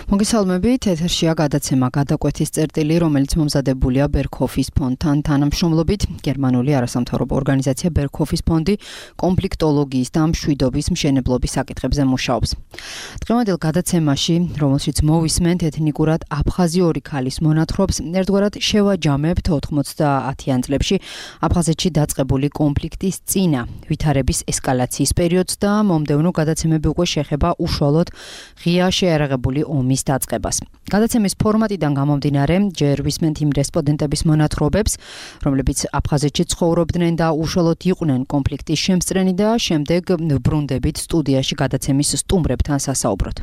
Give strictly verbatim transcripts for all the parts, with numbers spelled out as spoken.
მოგესალმებით, ეთერშია გადაცემა გადაკვეთის წერტილი, რომელიც მომზადებულია ბერქჰოფის ფონდთან თანამშრომლობით. გერმანული არასამთავრობო ორგანიზაცია ბერქჰოფის ფონდი კონფლიქტოლოგიის და მშვიდობის მშენებლობის საკითხებზე მუშაობს. დღევანდელ გადაცემაში, რომელშიც მოვისმენთ ეთნიკურად აფხაზიური ქალის მონათხრობს, ერთგვარად შევაჯამებთ ოთხმოცდაათიან წლებში აფხაზეთში დაწყებული კონფლიქტის წინა ვითარების ესკალაციის პერიოდს და მომდევნო გადაცემები უკვე შეხება უშუალოდ ღია შეიარაღებული ომის დაწყებას. გადაცემის ფორმატიდან გამომდინარე, ჯერ ვისმენთ იმ რესპონდენტების მონათხრობებს, რომლებიც აფხაზეთში ცხოვრობდნენ და უშუალოდ იყვნენ კონფლიქტის შემსწრენი და შემდეგ ბრუნდებით სტუდიაში გადაცემის სტუმრებთან სასაუბროთ.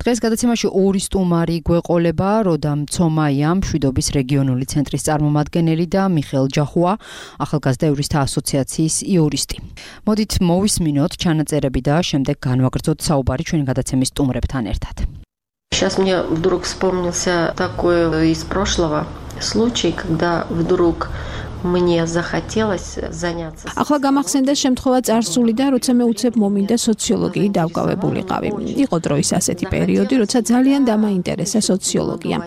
დღეს გადაცემაში ორი სტუმარი გვეყოლება, როდამ ცომაია, მშვიდობის რეგიონული ცენტრის წარმომადგენელი და მიხეილ ჯახუა, ახალგაზრდა იურისტთა ასოციაციის იურისტი. მოდით მოვისმინოთ ჩანაწერები და შემდეგ განვაგრძოთ საუბარი ჩვენი გადაცემის სტუმრებთან ერთად. Сейчас мне вдруг вспомнился такой из прошлого случай, когда вдруг мне захотелось заняться. ახლა გამახსენდა შემთხვევა წარსულიდან, როცა მე უცებ მომინდა სოციოლოგიით დავკავებულიყავი. იყო დროის ასეთი პერიოდი, როცა ძალიან დამაინტერესა სოციოლოგია.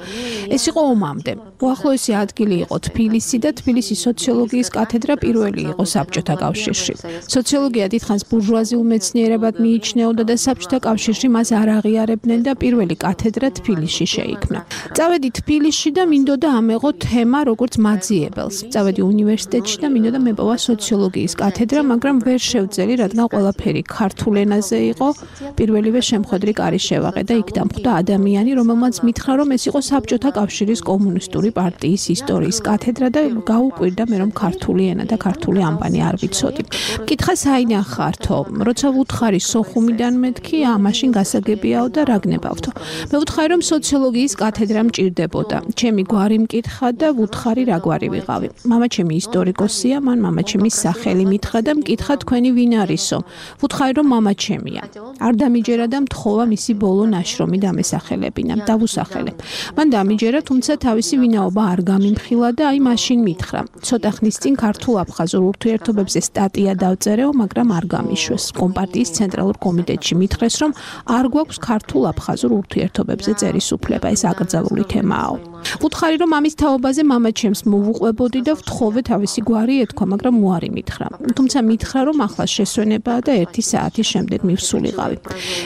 ეს იყო ომამდე. უახლოესი ადგილი იყო თბილისი და თბილისის სოციოლოგიის კათედრა პირველი იყო საბჭოთა კავშირში. სოციოლოგია დიდხანს ბურჟუაზიულ მეცნიერებად მიიჩნეოდა და საბჭოთა კავშირში მას არ აღიარებდნენ და პირველი კათედრა თბილისში შეიქმნა. წავედი თბილისში და მინდოდა ამეღო თემა როგორც მაძიებელს. წავედი უნივერსიტეტში და მინდოდა მეპოვა სოციოლოგიის კათედრა, მაგრამ ვერ შევძელი, რადგან ყველაფერი ქართულ ენაზე იყო. პირველივე შემხედრი კარი შევაღე და იქ დამხვდა ადამიანი, რომელმაც მითხრა, რომ ეს იყო საბჭოთა კავშირის კომუნისტური პარტიის ისტორიის კათედრა და გაუკვირდა მე, რომ ქართული ენა და ქართული ამბანი არ ვიცოდი. მკითხა საინახართო, როცა ვუთხარი სოხუმიდან მეთქი, ამაშინ გასაგებიაო და რა გნებავთო. მე ვუთხარი, რომ სოციოლოგიის კათედრა მჭირდებოდა. ჩემი გვარი მკითხა და ვუთხარი რა გვარი ვიყავი. მამაჩემი ისტორიკოსია, მან მამაჩემის სახელი მითხრა და მკითხა თქვენი ვინ არისო. ვუთხარი, რომ მამაჩემია. არ დამიჯერა და მთხოვა მისი ბოლო ნაშრომი დამესახელებინა. დავუსახელებ. მან დამიჯერა, თუმცა თავისი ვინაობა არ გამიმხილა და აი მაშინ მითხრა. ცოტა ხნის წინ ქართულ-აფხაზურ ურთიერთობებზე სტატია დავწერეო, მაგრამ არ გამიშვეს. კომპარტიის ცენტრალურ კომიტეტში მითხრეს, რომ არ გვაქვს ქართულ-აფხაზურ ურთიერთობებზე წერის უფლება, ეს აკრძალული თემაა. ვუთხარი, რომ ამის თაობაზე მამაჩემს მოვუყვებოდი და ვთხოვე თავისი გვარი ეთქვა, მაგრამ უარი მითხრა. თუმცა მითხრა, რომ ახლა შესვენებაა და ერთი საათის შემდეგ მივსულიყავი.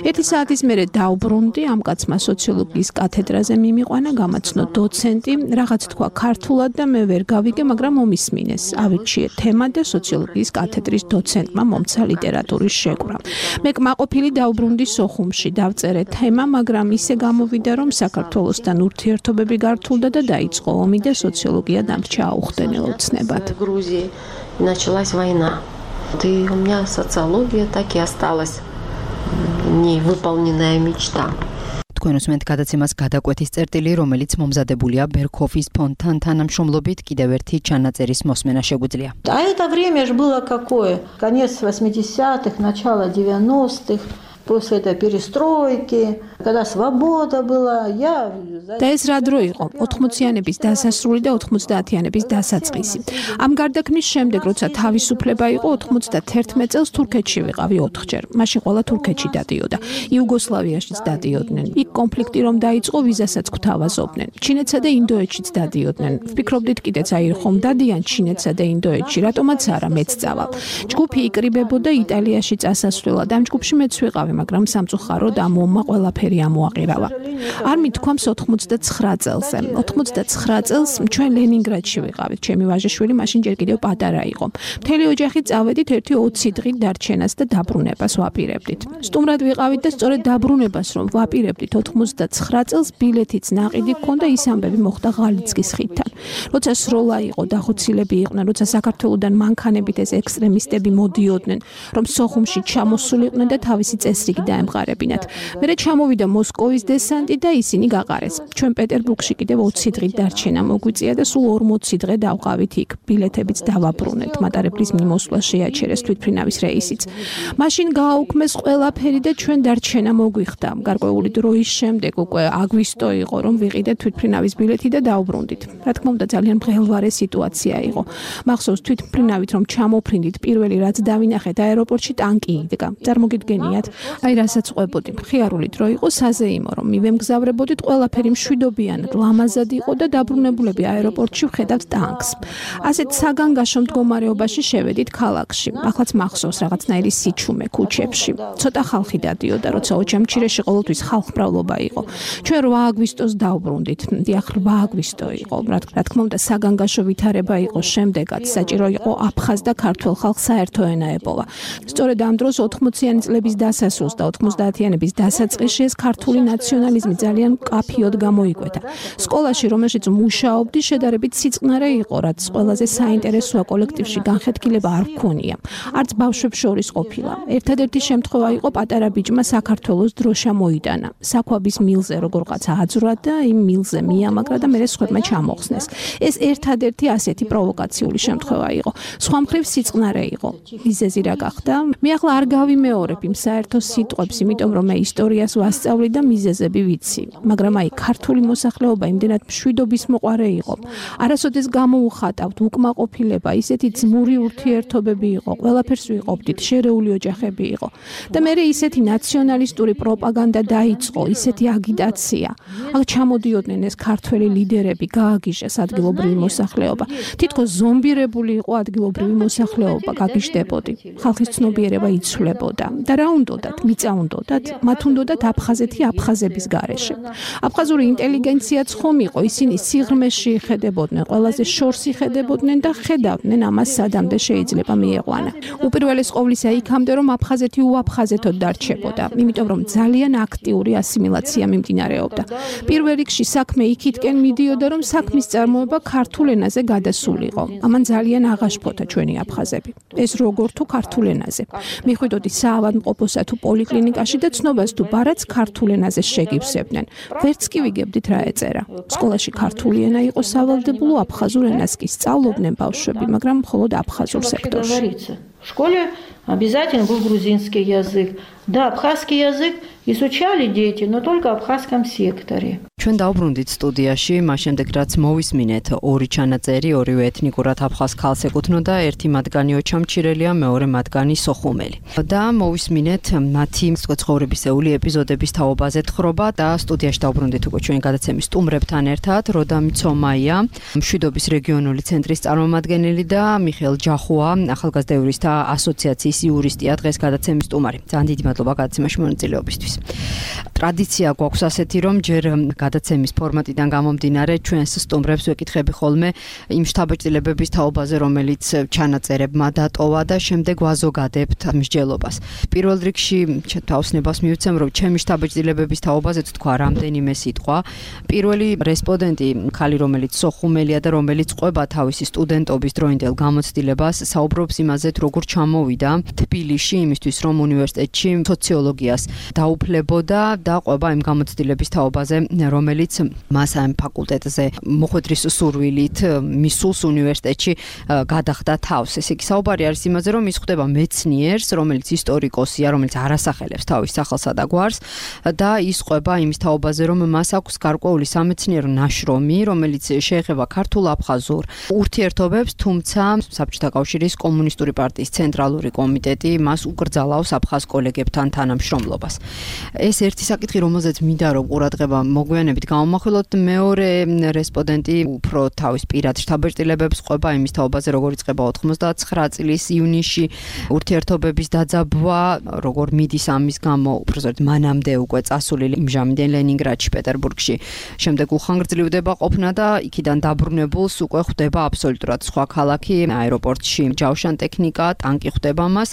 ერთი საათის მერე დავბრუნდი, ამ კაცმა სოციოლოგიის კათედრაზე მიმიყვანა, გამაცნო დოცენტი, რაღაც თქვა ქართულად და მე ვერ გავიგე, მაგრამ მომისმინეს. ავირჩიე თემა და სოციოლოგიის კათედრის დოცენტმა მომცა ლიტერატურის შეკვრა. მე კმაყოფილი დავბრუნდი სოხუმში, დავწერე თემა, მაგრამ ისე გამოვიდა, რომ საქართველოსთან ურთიერთობები გართულდა და დაიწყო ომი და социология დამრჩა აუხსნელად ცნებად. Грузии началась война. И у меня социология так и осталась невыполненная мечта. თქვენ უსმენთ გადაცემას გადაკვეთის წერტილი, რომელიც момზადებულია ბერქჰოფის ფონდთან თანამშრომლობით, კიდევ ერთი ჩანაწერის მოსმენა შეგვიძლია. А это время же было какое? Конец восьмидесятых, начало девяностых. После этой перестройки, когда свобода была, я... და ეს რა დრო იყო? ოთხმოციანების დასასრული და ოთხმოცდაათიანების დასაწყისი. ამ გარდაქმნის შემდეგ, როცა თავისუფლება იყო, ოთხმოცდაათი წელს თურქეთში ვიყავი ოთხჯერ. მაშინ ყველა თურქეთში დადიოდა. იუგოსლავიაშიც დადიოდნენ. იქ კონფლიქტი რომ დაიწყო, ვიზასაც გვთავაზობდნენ. ჩინეთსა და ინდოეთშიც დადიოდნენ. ვფიქრობდით კიდეც აი ხომ დადიან ჩინეთსა და ინდოეთში, რატომაც არა მეც წავალ. ჯგუფი იკრიბებოდა იტალიაში წასასვლელად. ამ ჯგუფში მეც ვიყავი, მაგრამ სამწუხაროდ ამ ომმა ყველაფერი ამოაყირავა. არ მithქვამს ოთხმოცდაცხრა წელზე. ოთხმოცდაცხრა წელს ჩვენ ლენინგრადში ვიყავით. ჩემი ვაჟიშვილი მაშინ ჯერ კიდევ პატარა იყო. მთელი ოჯახი წავედით ერთი ოცი დღით დარჩენას და დაბრუნებას ვაპირებდით. სტუმრად ვიყავით და სწორედ დაბრუნებას რომ ვაპირებდით ოთხმოცდაცხრა წელს ბილეთიც ნაყიდი გქონდა, ის ამბები მოხდა ღალიცკის ხიდთან. როცა სროლა იყო, დახოცილები იყვნენ, როცა საქართველოსდან მანქანებით ეს ექსტრემისტები მოდიოდნენ, რომ სოხუმში ჩამოსულიყვნენ და თავისი წესრიგი დაემყარებინათ. მერე ჩამოვიდა მოსკოვის დესანტი და ისინი გაყარეს. ჩვენ პეტერბურგში კიდევ ოცი დღით დარჩენა მოგვიწია და სულ ორმოცი დღე დავყავით იქ. ბილეთებიც დავაბრუნეთ. მატარებლის მიმოსვლა შეაჩერეს თვითმფრინავის რეისიც. მაშინ გააუქმეს ყველაფერი და ჩვენ დარჩენა მოგვიხდა. გარკვეული დროის შემდეგ უკვე აგვისტო იყო, რომ ვიყიდეთ თვითმფრინავის ბილეთი და დავბრუნდით. რა თქმა უნდა, ძალიან მღელვარე სიტუაცია იყო. მახსოვს თვითმფრინავით რომ ჩამოფრინდით, პირველი რაც დავინახეთ აეროპორტში ტანკი იდგა. წარმოგიდგენიათ, აი რასაც ყვებოდი, მხიარული დრო იყო საზეიმო, რომ მივემგზავრებოდით, ყველაფერი მშვიდობიანად, ლამაზად იყო და დაბრუნებულები აეროპორტში ვხედავთ ტანკს. ასეთ საგანგაშო მდგომარეობაში შევედით ქალაქში. ახლაც მახსოვს რაღაცნაირი სიჩუმე ქუჩებში. ცოტა ხალხი დადიოდა, როცა ოჩამჩირეში ყოველთვის ხალხმრავლობა იყო. ჩვენ რვა აგვისტოს დავბრუნდით. დიახ, რვა აგვისტო იყო. რა თქმა უნდა, საგანგაშო ვითარება იყო შემდეგაც. საჭირო იყო აფხაზ და ქართველ ხალხს საერთო ენა ეპოვა. სწორედ ამ დროს ოთხმოციანი წლების დასასრულს და ოცდაათიანების დასაწყისში ეს ქართული ნაციონალიზმი ძალიან მკაფიოდ გამოიკვეთა. სკოლაში, რომელშიც მუშაობდი, შედარებით სიწყნარე იყო, რაც ყველაზე საინტერესოა კოლექტივში განხეთქილება არ ჰქონია. არც ბავშვებს შორის ყოფილა. ერთადერთი შემთხვევა იყო პატარა ბიჭმა საქართველოს დროშა მოიტანა. საქვაბის მილზე როგორღაც აძვრა და იმ მილზე მიამაგრა და მერე სხვებმა ჩამოხსნეს. ეს ერთადერთი ასეთი პროვოკაციული შემთხვევა იყო. სხვა მხრივ სიწყნარე იყო. მიზეზი რა გახდა? მე ახლა არ გავიმეორებ იმ საერთო სიტყვებს, იმიტომ რომ მე ისტორიას ვასწავლი და მიზეზები ვიცი. მაგრამ აი ქართული მოსახლეობა იმდენად მშვიდობის მოყარე იყო. არასოდეს გამოუხატავთ უკმაყოფილება, ისეთი ძმური ურთიერთობები იყო, ყველაფერს ვიყოფდით, შერეული ოჯახები იყო. და მე ისეთი ნაციონალისტური პროპაგანდა დაიწყო, ისეთი აგიტაცია. აქ ჩამოდიოდნენ ეს ქართველი ლიდერები, გააგიჟეს ადგილობრივი მოსახლეობა. თითქოს ზომბირებული იყო ადგილობრივი მოსახლეობა, გაგიჟდებოდი. ხალხის ცნობიერება იცვლებოდა. და რა უნდოდათ? მიწა უნდოდათ? მათ უნდოდათ აფხაზეთი აფხაზების გარეშე. აფხაზური ინტელიგენციაც ხომ იყო, ისინი სიღრმეში იხედებოდნენ, ყველაზე შორს იხედებოდნენ და ხედავდნენ ამას სადამდე შეიძლება მიიყვანა. უპირველეს ყოვლისა იქამდე რომ აფხაზეთი უაფხაზეთოდ დარჩებოდა, იმიტომ რომ ძალიან აქტიური ასიმილაცია მიმდინარეობდა. პირველ რიგში საქმე იქითკენ მიდიოდა, რომ საქმის წარმოება ქართულ ენაზე გადასულიყო. ამან ძალიან აღაშფოთა ჩვენი აფხაზები. ეს როგორ თუ ქართულ ენაზე. მიხვიდოდი საავადმყოფოსა თუ პოლიკლინიკაში და ცნობას თუ ბარაც ქართულ ენაზე შეგივსებდნენ. ვერც კი ვიგებდით რა ეწერა. სკოლაში ქართული ენა იყო სავალდებულო, აფხაზურ ენას კი სწავლობდნენ ბავშვები, მაგრამ მხოლოდ აფხაზურ სექტორში. В школе обязательно был грузинский язык. Да, абхазский язык изучали дети, но только в абхазском секторе. ჩვენ დავბრუნდით სტუდიაში, მას შემდეგ რაც მოვისმინეთ ორი ჩანაწერი, ორივე ეთნიკურად აფხაზ ქალს ეკუთვნოდა, ერთი მათგანი ოჩამჩირელია, მეორე მათგანი სოხუმელი. და მოვისმინეთ მათი ცხოვრებისეული ეპიზოდების თაობაზე თხრობა და სტუდიაში დავბრუნდით უკვე ჩვენი გადაცემის სტუმრებთან ერთად, როდა მიცომაია, მშვიდობის რეგიონული ცენტრის წარმომადგენელი და მიხეილ ჯახუა, ახალგაზრდა იურისტთა ასოციაციის იურისტია, დღეს გადაცემის სტუმარი. ძალიან დიდი მადლობა გადაცემაში მონაწილეობისთვის. ტრადიცია გვაქვს ასეთი, რომ ჯერ გადაცემის ფორმატიდან გამომდინარე ჩვენს სტუმრებს ვეკითხები ხოლმე იმ შთაბეჭდილებების თაობაზე, რომელიც ჩანაწერებმა დატოვა და შემდეგ ვაზოგადებთ მსჯელობას. პირველ რიგში თავსნებას მივცემ, რომ ჩემი შთაბეჭდილებების თაობაზე თქვა რამდენიმე სიტყვა. პირველი რესპონდენტი, ხალი, რომელიც სოხუმელია და რომელიც ყვება თავისი სტუდენტობის დროინდელ გამოცდილებას, საუბრობს იმაზე, როგორ ჩამოვიდა თბილისში იმისთვის, რომ უნივერსიტეტში სოციოლოგიას დაუფლებოდა და ყვება იმ გამოცდილების თაობაზე, რომელიც მას ამ ფაკულტეტზე მოხვედრის სურვილით მისულს უნივერსიტეტში გადახდა თავს. ესე იგი საუბარი არის იმაზე, რომ ის ხვდება მეცნიერს, რომელიც ისტორიკოსია, რომელიც არასახელებს თავის სახელსა და გვარს და ის ყვება იმის თაობაზე, რომ მას აქვს გარკვეული სამეცნიერო ნაშრომი, რომელიც შეეხება ქართულ-აფხაზურ ურთიერთობებს, თუმცა საბჭოთა კავშირის კომუნისტური პარტიის ცენტრალური კომიტეტი მას უკრძალავს აფხაზ კოლეგებთან თანამშრომლობას. ეს ერთი საკითხი, რომელზეც მინდა რომ ყურადღება მოგვიანებით გამომახვილოთ, მეორე რესპონდენტი უფრო თავის პირად შთაბეჭდილებებს ყვება იმის თაობაზე, როგორ იწყება ოცდაათი წლის ივნისში ურთიერთობების დაძაბვა, როგორ მიდის ამის გამო, უბრალოდ მანამდე უკვე წასული იმჟამინდენ ლენინგრადში, პეტერბურგში, შემდეგ უხანგრძლივდება ყოფნა და იქიდან დაბრუნებულს უკვე ხვდება აბსოლუტურად სხვა ქალაქი, აეროპორტში ჯავშან ტექნიკა, ტანკი ხვდება მას,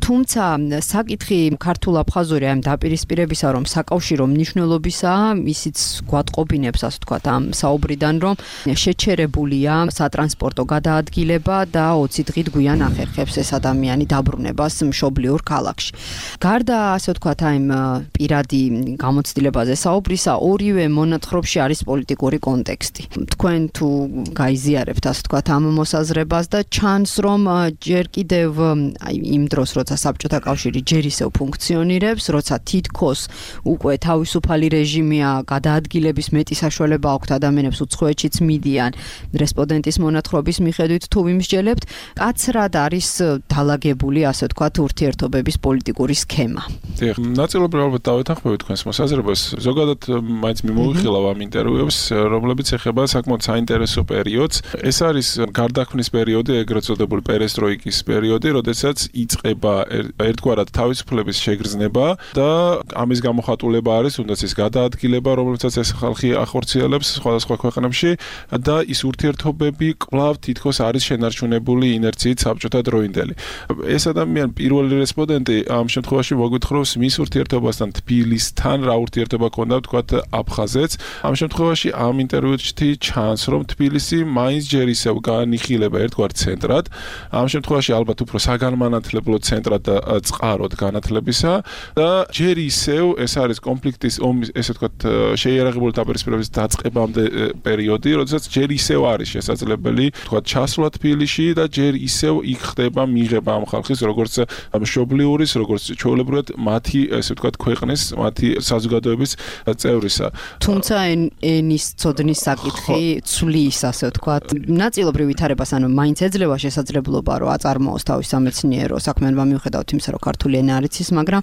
თუმცა საკითხი ქართულ-აფხაზური ამ დაპირისპირებისა, რომ საკავშირო მნიშვნელობისაა, ისიც გვატყობინებს, ასე ვთქვათ, ამ საუბრიდან, რომ შეჩერებულია სატრანსპორტო გადაადგილება და ოცი დღით გვიან ახერხებს ეს ადამიანი დაბრუნებას მშობლიურ ქალაქში. გარდა, ასე ვთქვათ, ამ პირადი გამოცდილებაზე საუბრისა, ორივე მონათხრობში არის პოლიტიკური კონტექსტი. თქვენ თუ გაიზიარებთ, ასე ვთქვათ, ამ მოსაზრებას და ჩანს, რომ ჯერ კიდევ აი იმ დროს, როცა საბჭოთა კავშირი ჯერ ისევ ფუნქციონირებს, როცა თითქოს უკვე თავისუფალი რეჟიმია, გადაადგილების მეტი საშუალება აქვთ ადამიანებს უცხოეთშიც მიდიან. რესპონდენტის მონათხრობის მიხედვით თუ ვიმსჯელებთ, კაცრად არის დალაგებული, ასე ვთქვათ, ურთიერთობების პოლიტიკური სქემა. დიახ, ნაწილობრივ ალბათ დავეთანხმები თქვენს მოსაზრებას. ზოგადად მაინც მიმოვიხილავ ამ ინტერვიუებს, რომლებიც ეხება საკმაოდ საინტერესო პერიოდს. ეს არის გარდაქმნის პერიოდი, ეგრეთ წოდებული პერესტროიკის პერიოდი, როდესაც იწყება ერთგვარად თავისუფლების შეგრძნება და ამის გამოხატულება არის თუნდაც ის გადაადგილება, რომელსაც ეს ხალხი ახორციელებს სხვადასხვა ქვეყნებში და ის ურთიერთობები კვლავ თითქოს არის შენარჩუნებული ინერციით საბჭოთა დროინდელი. ეს ადამიანი პირველი რესპონდენტი ამ შემთხვევაში მოგვითხრობს მის ურთიერთობასთან თბილისთან, რა ურთიერთობა ქონდა ვთქვათ აფხაზეთს. ამ შემთხვევაში ამ ინტერვიუში ჩანს, რომ თბილისი მაინც ჯერ ისევ განიხილება ერთგვარ ცენტრად. ამ შემთხვევაში ალბათ უფრო საგანმანათლებლო ცენტრად და წყაროდ განათლებისა და ჯერ ისევ ეს არის კონფლიქტის ომის, ესე ვთქვათ, შეიარაღებული დაპირისპირების დაწყებამდე პერიოდი, როდესაც ჯერ ისევ არის შესაძლებელი, ვთქვათ, ჩასვლა თბილისში და ჯერ ისევ იქ ხდება მიღება ამ ხალხის, როგორც მშობლიურის, როგორც ჩვეულებრივად მათი, ესე ვთქვათ, ქვეყნის, მათი საზოგადოების წევრისა. თუმცა ენის ცოდნის საკითხი ცვლის, ასე ვთქვათ, ნაწილობრივ ვითარებას, ანუ მაინც ეძლევა შესაძლებლობა, რომ აწარმოოს თავის სამეცნიერო საქმიანობა მიუხედავად იმისა, რომ ქართული ენა არ იცის, მაგრამ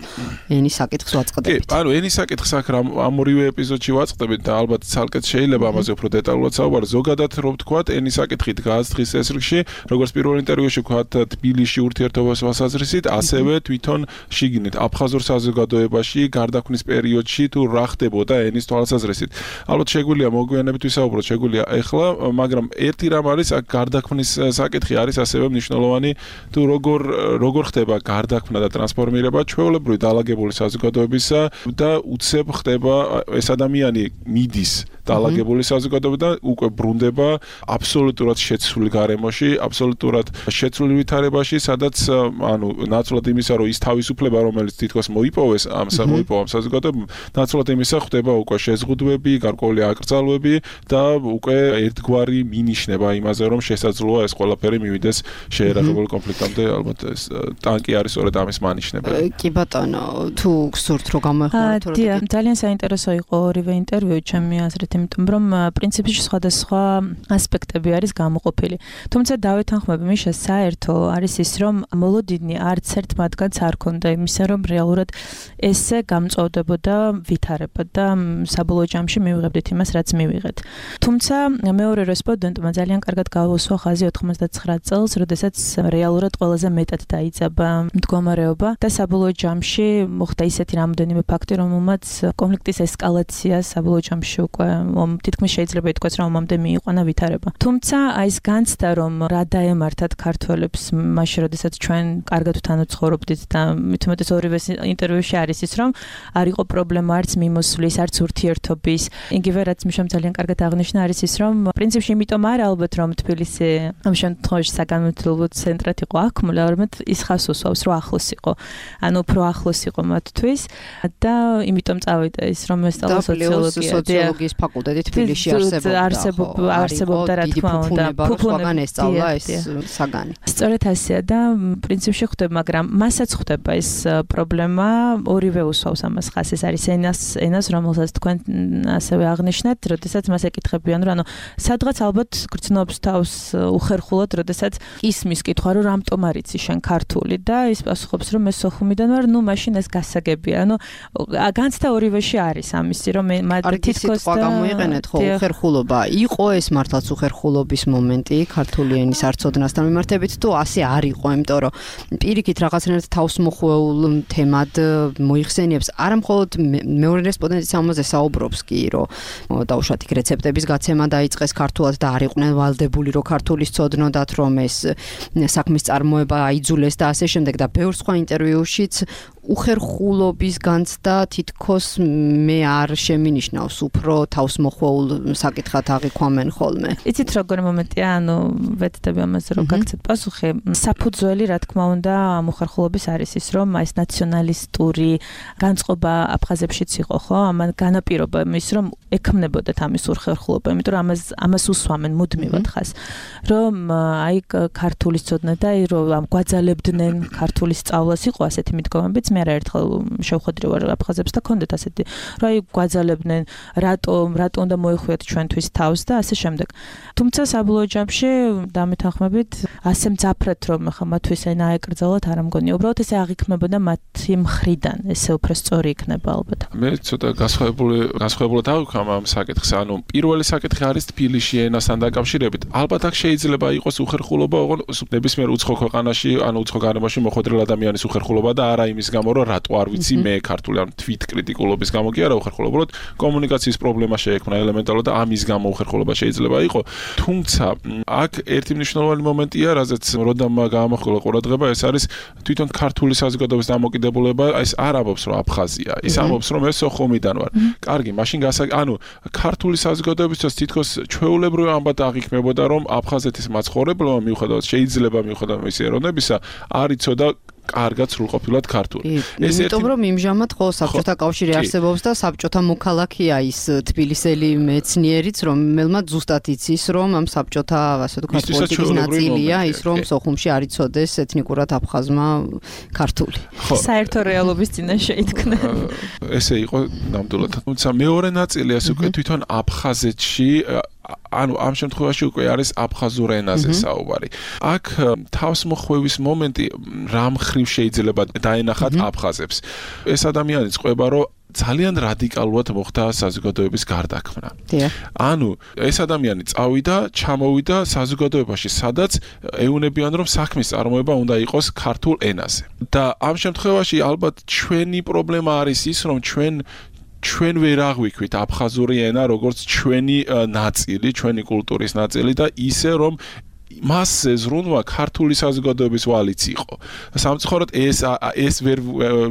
ენის საკითხს ვაწყდებით. კი, ანუ ენის საკითხს აქ ამ ორივე ეპიზოდში ვაწყდებით და ალბათ ცალკე შეიძლება ამაზე უფრო დეტალურად საუბარი. ზოგადად რომ ვთქვათ, ენის საკითხი დგას დღის წესრიგში, როგორც პირველ ინტერვიუში ვთქვათ, თბილისში ურთიერთობას ვასაზრისით, ასევე თვითონ შიგნით აფხაზურ საზოგადოებაში გარდაქმნის პერიოდში თუ რა ხდებოდა ენის თვალსაზრისით. ალბათ შეგვიძლია მოგვიანებით ვისაუბროთ, შეგვიძლია ეხლა, მაგრამ ერთი რამ არის, აქ გარდაქმნის საკითხი არის ასევე მნიშვნელოვანი, თუ როგორ როგორ ხდება გარდაქმნა და ტრანსფორმირება ჩვეულებრივი დალაგებული საზოგადოებისა და უცებ ხდება ეს ადამიანი მიდის დალაგებული საზოგადოებიდან უკვე ბრუნდება აბსოლუტურად შეცვლილ გარემოში, აბსოლუტურად შეცვლილ ვითარებაში, სადაც ანუ ნაცვლად იმისა, რომ ის თავისუფლება, რომელიც თითქოს მოიპოვეს ამ მოიპოვა ამ საზოგადოებამ, ნაცვლად იმისა ხდება უკვე შეზღუდვები, გარკვეული აკრძალვები და უკვე ერთგვარი მინიშნება იმაზე, რომ შესაძლოა ეს ყველაფერი მივიდეს შეიარაღებული კონფლიქტამდე, ალბათ ეს ტანკი არის სწორედ ამის მანიშნებელი. კი ბატონო, თუ გსურთ რომ გამოეხმაროთ, რომ ძალიან საინტერესო იყო ორივე ინტერვიუ ჩემი აზრით, იმიტომ რომ პრინციპში სხვადასხვა ასპექტები არის გამოყოფილი. თუმცა დავეთანხმები მიშა, საერთო არის ის, რომ მოლოდინი არც ერთ მათგანს არ ქონდა იმისა, რომ რეალურად ესე გამწვავდებოდა ვითარება და საბოლოო ჯამში მივიღებდით იმას, რაც მივიღეთ. თუმცა მეორე რესპონდენტმა ძალიან კარგად გაუსვა ხაზი ოთხმოცდაცხრა წელს, როდესაც რეალურად ყველაზე მეტად დაიძაბა მდგომარეობა და საბოლოო ჯამში მოხდა ისეთი რამოდენიმე ფაქტი, რომელმაც კონფლიქტის ესკალაცია საბოლოო ჯამში უკვე თითქმის შეიძლება ითქვას, რომ ომამდე მიიყვანა ვითარება. თუმცა აი ეს განცდა, რომ რა დაემართათ ქართველებს მაშინ, როდესაც ჩვენ კარგად თან ვცხოვრობდით და მithumetes ორივე ინტერვიუში არის ის, რომ არ იყო პრობლემა არც მიმოსვლის, არც ურთიერთობის. იგივე რაც მიშამ ძალიან კარგად აღნიშნა არის ის, რომ პრინციპში იმიტომ არა ალბათ, რომ თბილისი ამ შემთხვევაში საგანმანათლებლო ცენტრად იყო აქმული, არამედ ის ხას უსვავს, რომ ახლოს იყო. ანუ უფრო ახლოს იყო მათთვის და იმიტომ წავიდა ის, რომ ესწავლა სოციოლოგია. სოციოლოგიის ფაკულტეტი თბილისში არსებობდა. არსებობდა, არსებობდა რა თქმა უნდა. ფუფუნებან ესწავლა ეს საგანი. სწორედ ასეა და პრინციპში ხდება, მაგრამ მასაც ხდება ეს პრობლემა, ორივე უსვავს ამას ხას. ეს არის ენას, ენას, რომელსაც თქვენ ასევე აღნიშნეთ, როდესაც მას ეკითხებიან, რომ ანუ სადღაც ალბათ გრძნობს თავს უხერხულად, როდესაც ისმის კითხვა, რომ რამტომ არ იცი შენ ქართული და ის პასუხობს, რომ მე სოხუმიდან ვარ, ნუ მაშინ ეს გასაგებია. ანუ განცდა ორივეში არის ამისი, რომ მათ თითქოს და გამოიყენეთ ხო უხერხულობა. იყო ეს მართლაც უხერხულობის მომენტი ქართული ენის არცოდნასთან მიმართებით თუ ასე არ იყო, იმიტომ რომ პირიქით რაღაცნაირად თავს მოხვეულ თემად მოიხსენიებს. არა მხოლოდ მეორე რესპონდენტიც ამაზე საუბრობს კი, რომ დაუშვათ იქ რეცეპტების გაცემა დაიწყეს ქართულად და არ იყვნენ ვალდებული, რომ ქართულის ცოდნოდათ, რომ ეს საქმის წარმოება აიძულეს და ასე შემდეგ და ბევრ სხვა ინტერვიუშიც უხერხულობის განცდა თითქოს მე არ შემინიშნავს, უფრო თავს მოხვეულ საკითხად აღიქვამენ ხოლმე. იცით როგორი მომენტია, ანუ ვეთდები ამაზე რომ გაგცეთ პასუხი. საფუძველი რა თქმა უნდა ამ უხერხულობის არის ის, რომ ეს ნაციონალისტური განწყობა აფხაზებშიც იყო, ხო? ამან განაპირობა ის, რომ ექმნებოდათ ამის უხერხულობა, იმიტომ რომ ამას ამას უსვამენ მუდმივად ხას. რომ აი ქართულის ცოდნა და აი რომ ამ გვაძალებდნენ ქართულის სწავლას იყო ასეთი მიდგომებიც, მე არაერთხელ შევხვედრი ვარ აფხაზებს და კონდეთ ასეთი რა აი გვაძალებდნენ რატომ რატომ უნდა მოეხვიათ ჩვენთვის თავს და ასე შემდეგ. თუმცა საბოლოო ჯამში დამეთანხმებით ასე მძაფრად რომ ხა მათთვის ენა აეკრძალოთ არ ამგონია. უბრალოდ ესე აღიქმებოდა მათი მხრიდან, ესე უფრო სწორი იქნება ალბათ. მე ცოტა გასხვავებული გასხვავებულად ავიქამ ამ საკითხს. ანუ პირველი საკითხი არის თბილისში ენასთან დაკავშირებით. ალბათ აქ შეიძლება იყოს უხერხულობა, ოღონდ ნებისმიერ უცხო ქვეყანაში, ანუ უცხო გარემოში მოხვედრილ ადამიანის უხერხულობა და არა იმის გამო, რომ რატო არ ვიცი მე ქართული, ანუ თვით კრიტიკულობის გამო კი არა უხერხულობა, უბრალოდ კომუნიკაციის პრობლემა შეექმნა ელემენტარულად და ამის გამო უხერხულობა შეიძლება იყოს. თუმცა აქ ერთი მნიშვნელოვანი მომენტია, რაზეც როდამ გაამახვილა ყურადღება, ეს არის თვითონ ქართული საზოგადოების დამოკიდებულება, ეს არ ამბობს, რომ აფხაზია. ის ამბობს, რომ ეს სოხუმიდან ვარ. კარგი, მაშინ გასა, ანუ ქართული საზოგადოებისთვის თითქოს ჩვეულებრივი ამბად აღიქმებოდა, რომ აფხაზეთის მაცხოვრებელმა მიუხედავად შეიძლება მიუხედავად მისი ეროვნებისა, არ იცოდა კარგად სრულყოფილად ქართული. ეს იმიტომ რომ იმჟამად ხო საბჭოთა კავშირი არსებობს და საბჭოთა მოქალაქეა ის თბილისელი მეცნიერიც, რომელმაც ზუსტად იცის, რომ ამ საბჭოთა, ასე ვთქვათ, პოლიტიკის ნაწილია ის, რომ სოხუმში არ იცოდეს ეთნიკურად აფხაზმა ქართული. საერთო რეალობის წინაშე იდგნა. ესე იყო ნამდვილად. თუმცა მეორე ნაწილი ეს უკვე თვითონ აფხაზეთში ანუ ამ შემთხვევაში უკვე არის აფხაზურ ენაზე საუბარი. აქ თავს მოხვევის მომენტი რამ ხრივ შეიძლება დაენახათ აფხაზებს. ეს ადამიანი წყვება, რომ ძალიან რადიკალურად მოხდა საზოგადოების გარდაქმნა. ანუ ეს ადამიანი წავიდა, ჩამოვიდა საზოგადოებაში, სადაც ეუნებიან, რომ საქმის წარმოება უნდა იყოს ქართულ ენაზე. და ამ შემთხვევაში ალბათ ჩვენი პრობლემა არის ის, რომ ჩვენ ჩვენ ვერ აღვიქვით აფხაზური ენა როგორც ჩვენი ნაწილი, ჩვენი კულტურის ნაწილი და ისე რომ მასზე ზრუნვა ქართული საზოგადოების ვალიც იყო. სამწუხაროდ ეს ეს ვერ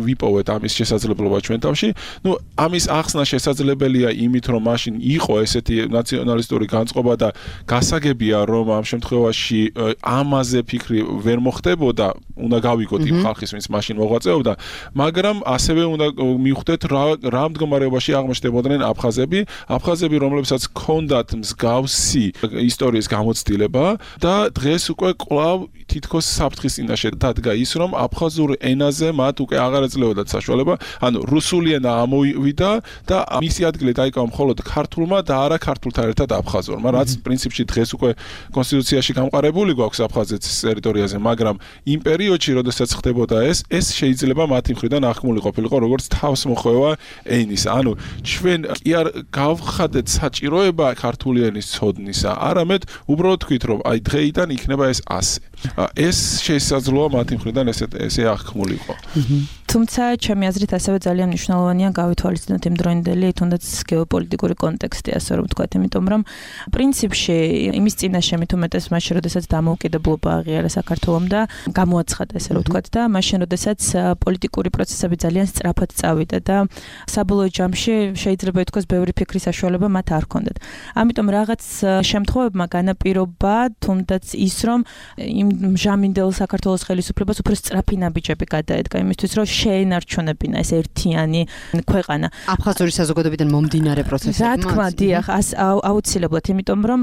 ვიპოვეთ ამის შესაძლებლობა ჩვენ თავში. ნუ ამის ახსნა შესაძლებელია იმით, რომ მაშინ იყო ესეთი ნაციონალისტური განწყობა და გასაგებია, რომ ამ შემთხვევაში ამაზე ფიქრი ვერ მოხდებოდა, უნდა გავიგოთ იმ ხალხის, ვინც მაშინ მოღვაწეობდა, მაგრამ ასევე უნდა მივხვდეთ რა რა მდგომარეობაში აღმოჩნდებოდნენ აფხაზები, აფხაზები, რომლებსაც ჰქონდათ მსგავსი ისტორიის გამოცდილება და დღეს უკვე კვლავ თითქოს საფრთხის წინაშე დადგა ის, რომ აფხაზურ ენაზე მათ უკვე აღარ ეძლეოდათ საშუალება, ანუ რუსული ენა ამოვიდა და მისი ადგილი დაიკავა მხოლოდ ქართულმა და არა ქართულთან ერთად აფხაზურმა, რაც პრინციპში დღეს უკვე კონსტიტუციაში გამყარებული გვაქვს აფხაზეთის ტერიტორიაზე, მაგრამ იმ პერიოდში, როდესაც ხდებოდა ეს, ეს შეიძლება მათი მხრიდან აღქმული ყოფილიყო როგორც თავსმოხვევა ენის. ანუ ჩვენ კი არ გავხადეთ საჭიროება ქართული ენის ცოდნისა, არამედ უბრალოდ თქვით, რომ აი დღეიდან იქნება ეს ასე. ეს შესაძლოა მათი მხრიდან ესე ესე აღქმულიყო. თუმცა ჩემი აზრით ასევე ძალიან მნიშვნელოვანია გავითვალისწინოთ იმ დროინდელი თუნდაც გეოპოლიტიკური კონტექსტი, ასე რომ ვთქვათ, იმიტომ რომ პრინციპში იმის წინაშე მით უმეტეს მაშინ, როდესაც დამოუკიდებლობა აღიარა საქართველომ და გამოაცხადა, ასე რომ ვთქვათ, და მაშინ, როდესაც პოლიტიკური პროცესები ძალიან სწრაფად წავიდა და საბოლოო ჯამში შეიძლება ითქვას ბევრი ფიქრის საშუალება მათ არ ჰქონდათ. ამიტომ რაღაც შემთხვევებმა განაპირობა თუნდაც ის, რომ იმ ჟამინდელ საქართველოს ხელისუფლებას უფრო სწრაფი ნაბიჯები გადაედგა იმისთვის, რომ შეენარჩუნებინა ეს ერთიანი ქვეყანა. აფხაზური საზოგადოებიდან მომდინარე პროცესები. რა თქმა, დიახ, აუცილებლად, იმიტომ რომ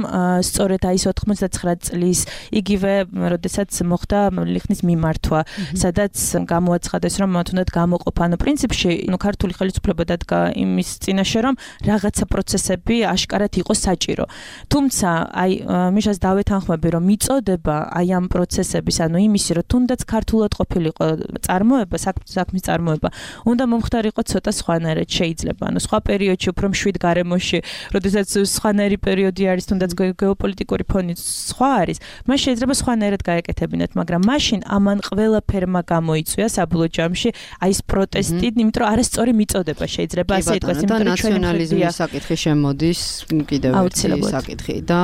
სწორედ აი ეს ოთხმოცდათცხრა წლის იგივე, როდესაც მოხდა ლიხნის მიმართვა, სადაც გამოაცხადეს, რომ თუნდაც გამოყოფა, ანუ პრინციპში, ნუ ქართული ხელისუფლება დადგა იმის წინაშე, რომ რაღაცა პროცესები აშკარად იყოს საჭირო. თუმცა, აი მიშას დავეთანხმები, რომ მიწოდება აი ამ პროცესების, ანუ იმისი, რომ თუნდაც ქართულად ყოფილიყო წარმოება, საქმის წარმოება, უნდა მომხდარიყო ცოტა სხვანაირად შეიძლება. ანუ სხვა პერიოდში უფრო მშვიდ გარემოში, როდესაც სხვანაირი პერიოდი არის, თუნდაც გეოპოლიტიკური ფონი სხვა არის, მას შეიძლება სხვანაირად გაეკეთებინათ, მაგრამ მაშინ ამან ყველაფერმა გამოიწვია საბოლოო ჯამში აი ეს პროტესტი, იმიტომ რომ არასწორი მიწოდება შეიძლება ასე ითქვას, იმიტომ რომ ნაციონალიზმის საკითხი შემოდის კიდევ ერთი საკითხი და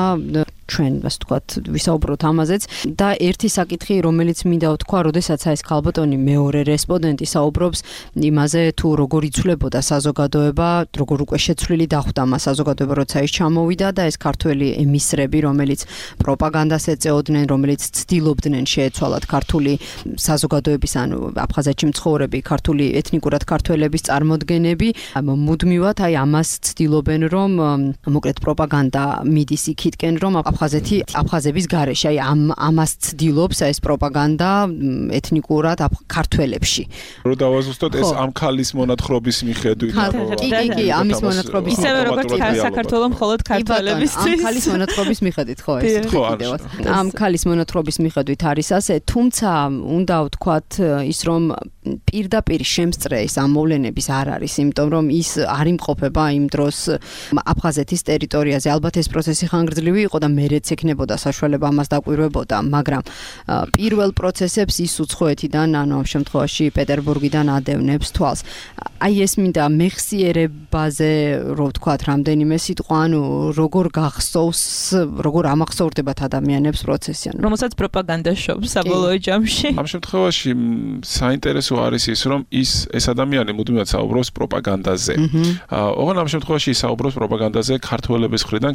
ჩვენ ასე ვთქვათ ვისაუბროთ ამაზეც და ერთი საკითხი რომელიც მინდა ვთქვა, როდესაც ეს ქალბატონი მეორე რესპონდენტი საუბრობს იმაზე თუ როგორ იცვლებოდა საზოგადოება, როგორ უკვე შეცვლილი დახვდა მას საზოგადოება, როცა ის ჩამოვიდა და ეს ქართველი ემისრები, რომელიც პროპაგანდას ეწეოდნენ, რომელიც ცდილობდნენ შეეცვალათ ქართული საზოგადოების, ანუ აფხაზეთში მცხოვრები ქართული ეთნიკურად ქართველების წარმოდგენები, მუდმივად აი ამას ცდილობენ, რომ მოკლედ პროპაგანდა მიდის იქითკენ, რომ აფხაზეთი აფხაზების გარეშე, აი ამ ამას ცდილობს ეს პროპაგანდა ეთნიკურად ქართველებში. რო დავაზუსტოთ ეს ამ ქალის მონათხრობის მიხედვით კი, კი, კი, ამის მონათხრობის ისევე როგორც საქართველოს მხოლოდ ქართველებისთვის. ამ ქალის მონათხრობის მიხედვით ხო ეს კიდევაც. ამ ქალის მონათხრობის მიხედვით არის ასე, თუმცა უნდა ვთქვათ ის რომ პირდაპირ შემსწრე ეს ამ მოვლენების არ არის, იმიტომ რომ ის არ იმყოფება იმ დროს აფხაზეთის ტერიტორიაზე. ალბათ ეს პროცესი ხანგრძლივი იყო და მერეც ექნებოდა საშუალება ამას დაკვირვებოდა, მაგრამ პირველ პროცესებს ის უცხოეთიდან, ანუ ამ შემთხვევაში პეტერბურგიდან ადევნებს თვალს. აი ეს მინდა მეხსიერებაზე რო ვთქვათ რამდენიმე სიტყვა, ანუ როგორ გახსოვს, როგორ ამახსოვრდებათ ადამიანებს პროცესი, ანუ რომელსაც პროპაგანდა შობს საბოლოო ჯამში. ამ შემთხვევაში საინტერესო არის ის, რომ ის ეს ადამიანი მუდმივად საუბრობს პროპაგანდაზე. ოღონდ ამ შემთხვევაში საუბრობს პროპაგანდაზე ქართველების მხრიდან,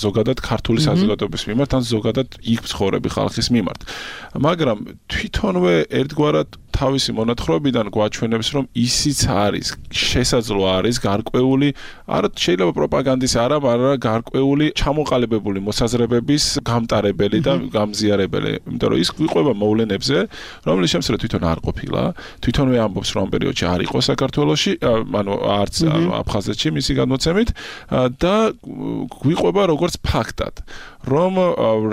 ზოგადად ქართული საზოგადოების მიმართ, ან ზოგადად იქ მცხოვრები ხალხის მიმართ. მაგრამ თვითონვე ერთგვარად თავისი მონათხრობიდან გვაჩვენებს, რომ ისიც არის, შესაძლო არის გარკვეული, არა შეიძლება პროპაგანდის არა, მაგრამ გარკვეული ჩამოყალიბებული მოსაზრებების გამტარებელი და გამზიარებელი. იმიტომ რომ ის გვიყვება მოვლენებზე, რომლის შემსწრე თვითონ არ ყოფილა, თვითონვე ამბობს, რომ ამ პერიოდში არ იყო საქართველოში, ანუ არც აფხაზეთში მისი გადმოცემით და გვიყვება როგორც ფაქტად, რომ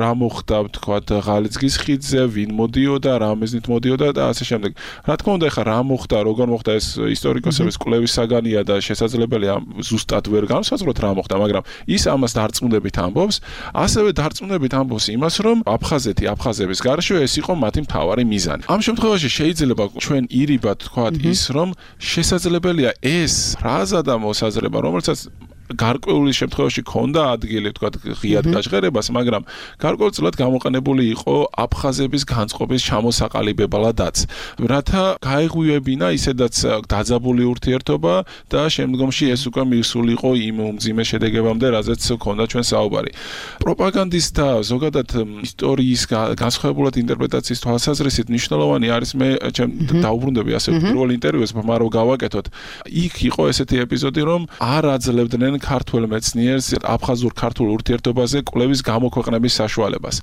რა მოხდა, ვთქვათ, ღალიცგის ხიდზე, ვინ მოდიოდა, რა მიზნით მოდიოდა და ასე შემდეგ. რა თქმა უნდა, ეხლა რა მოხდა, როგორ მოხდა ეს ისტორიკოსების კვლევის საგანია და შესაძლებელია ზუსტად ვერ განსაზღვროთ რა მოხდა, მაგრამ ის ამას დარწმუნებით ამბობს, ასევე დარწმუნებით ამბობს იმას, რომ აფხაზეთი, აფხაზების გარშემო ეს იყო მათი მთავარი მიზანი. ამ შემთხვევაში შეიძლება ჩვენ ირიბად ვთქვათ ის, რომ შესაძლებელია ეს ფრაზა და მოსაზრება, რომელსაც გარკვეული შემთხვევაში ქონდა ადგილი, ვთქვათ, ღიად გაჟღერებას, მაგრამ გარკვეულწილად გამოყენებული იყო აფხაზების განწყობის ჩამოსაყალიბებლადაც, რათა გაეღვივებინა ისედაც დაძაბული ურთიერთობა და შემდგომში ეს უკვე მისულიყო იმ უმძიმე შედეგებამდე, რაზეც ქონდა ჩვენ საუბარი. პროპაგანდის და ზოგადად ისტორიის განსხვავებულად ინტერპრეტაციის თვალსაზრისით მნიშვნელოვანი არის, მე დაუბრუნდები ასე პირველ ინტერვიუს, მაგრამ გავაკეთოთ. იქ იყო ესეთი ეპიზოდი, რომ არ აძლევდნენ ქართულ მეცნიერს აფხაზურ ქართულ ურთიერთობაზე კვლევის გამოქვეყნების საშუალებას.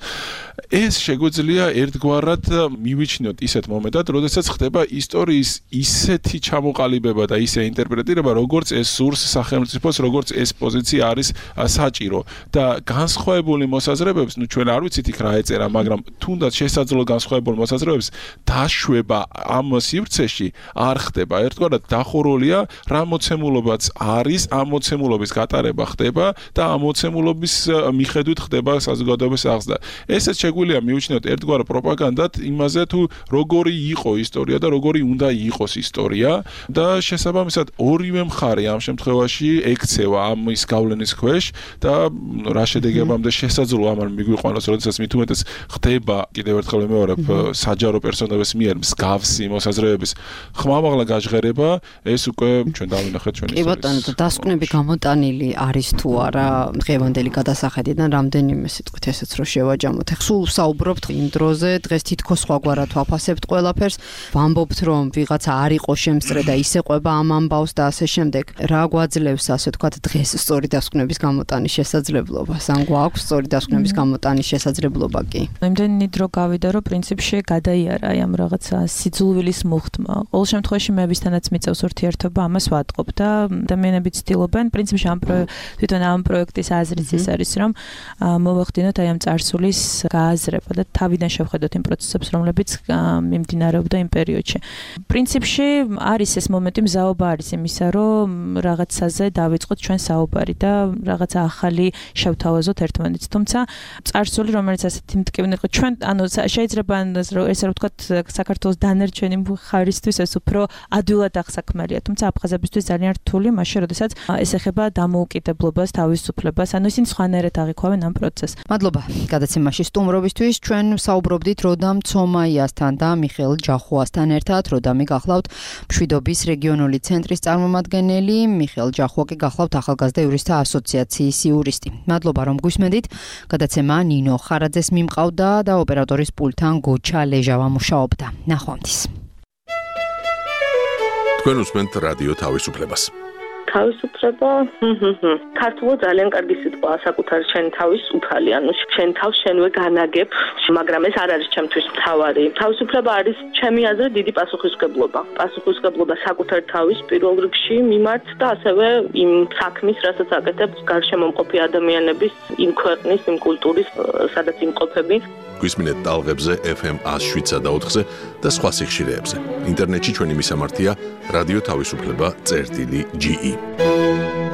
ეს შეგვიძლია ერთგვარად მივიჩნიოთ ისეთ მომენტად, როდესაც ხდება ისტორიის ისეთი ჩამოყალიბება და ისე ინტერპრეტირება, როგორც ეს სურს სახელმწიფოს, როგორც ეს პოზიცია არის საჭირო და განსხვავებული მოსაზრებებს, ნუ ჩვენ არ ვიცით იქ რა ეწერა, მაგრამ თუნდაც შესაძლო განსხვავებულ მოსაზრებებს დაშვება ამ სივრცეში არ ხდება. ერთგვარად დახურულია რა მოცემულობაც არის, ამ მოცემულობის გატარება ხდება და ამ მოცემულობის მიხედვით ხდება საზოგადოების აღზრდა. ესეც შეგვიძლია მივიჩნიოთ ერთგვარ პროპაგანდად იმაზე თუ როგორი იყო ისტორია და როგორი უნდა იყოს ისტორია და შესაბამისად ორივე მხარე ამ შემთხვევაში ექცევა ამის გავლენის ქვეშ და რა შედეგებამდე შესაძლოა ამან მიგვიყვანოს, როდესაც მით უმეტეს ხდება, კიდევ ერთხელ ვიმეორებ, საჯარო პერსონაჟების მიერ მსგავსი მოსაზრებების ხმამაღლა გაჟღერება, ეს უკვე ჩვენ დავინახეთ ჩვენი ისტორიის. კი ბატონო, დასკვნები გამოტანილი არის თუ არა დღევანდელი გადასახედიდან რამდენიმე სიტყვით ესეც რო შევაჯამოთ. ეხლა სულ საუბრობთ იმ დროზე, დღეს თითქოს სხვაგვარად ვაფასებთ ყველაფერს, ვამბობთ რომ ვიღაცა არ იყო შემსწრე და ისე ყვება ამ ამბავს და ასე შემდეგ. რა გვაძლევს ასე ვთქვათ დღეს სწორი დასკვნების გამოტანის შესაძლებლობას? ან გვაქვს სწორი დასკვნების გამოტანის შესაძლებლობა კი? იმდენი დრო გავიდა, რომ პრინციპში გადაიარა აი ამ რაღაცა სიძულვილის მუხტმა. ყოველ შემთხვევაში მეებისთანაც მიწევს ურთიერთობა, ამას ვატყობ და ადამიანები ცდილობენ პრინციპში ამ თვითონ ამ პროექტის აზრიც ის არის, რომ მოვახდინოთ აი ამ წარსულის გააზრება და თავიდან შევხედოთ იმ პროცესებს, რომლებიც მიმდინარეობდა იმ პერიოდში. პრინციპში არის ეს მომენტი, მზაობა არის იმისა, რომ რაღაცაზე დავიწყოთ ჩვენ საუბარი და რაღაცა ახალი შევთავაზოთ ერთმანეთს. თუმცა წარსული, რომელიც ასეთი მტკივნე იყო, ჩვენ ანუ შეიძლება ესე რომ ვთქვათ, საქართველოს დანარჩენი მხარისთვის ეს უფრო ადვილად აღსაქმელია, თუმცა აფხაზებისთვის ძალიან რთული, მაშინ როდესაც ეს ეხება დამოუკიდებლობას, თავისუფლებას, ანუ ისინი სხვანაირად აღიქვამენ ამ პროცესს. მადლობა გადაცემაში სტუმრობისთვის. ჩვენ საუბრობდით როდამ ცომაიასთან და მიხეილ ჯახუასთან ერთად. როდამი გახლავთ მშვიდობის რეგიონული ცენტრის წარმომადგენელი, მიხეილ ჯახუა კი გახლავთ ახალგაზრდა იურისტთა ასოციაციის იურისტი. მადლობა რომ გვისმენდით. გადაცემა ნინო ხარაძეს მიმყავდა და ოპერატორის პულტთან გოჩა ლეჟავა მუშაობდა. ნახვამდის. თქვენ უსმენთ რადიო თავისუფლებას. თავისუფლება ქართულად ძალიან კარგი სიტყვაა საკუთარი შენი თავის უფალი, ანუ შენ თავს შენვე განაგებ, მაგრამ ეს არ არის ჩემთვის მთავარი. თავისუფლება არის ჩემი აზრით დიდი პასუხისმგებლობა. პასუხისმგებლობა საკუთარი თავის პირველ რიგში მიმართ და ასევე იმ საქმის, რასაც აკეთებს გარშემო მყოფი ადამიანების, იმ ქვეყნის, იმ კულტურის, სადაც იმყოფები. გვისმინეთ ტალღებზე ეფ ემ one oh seven და ოთხზე და სხვა სიხშირეებზე. ინტერნეტში ჩვენი მისამართია რადიო თავისუფლება წერტილი ჯი ი.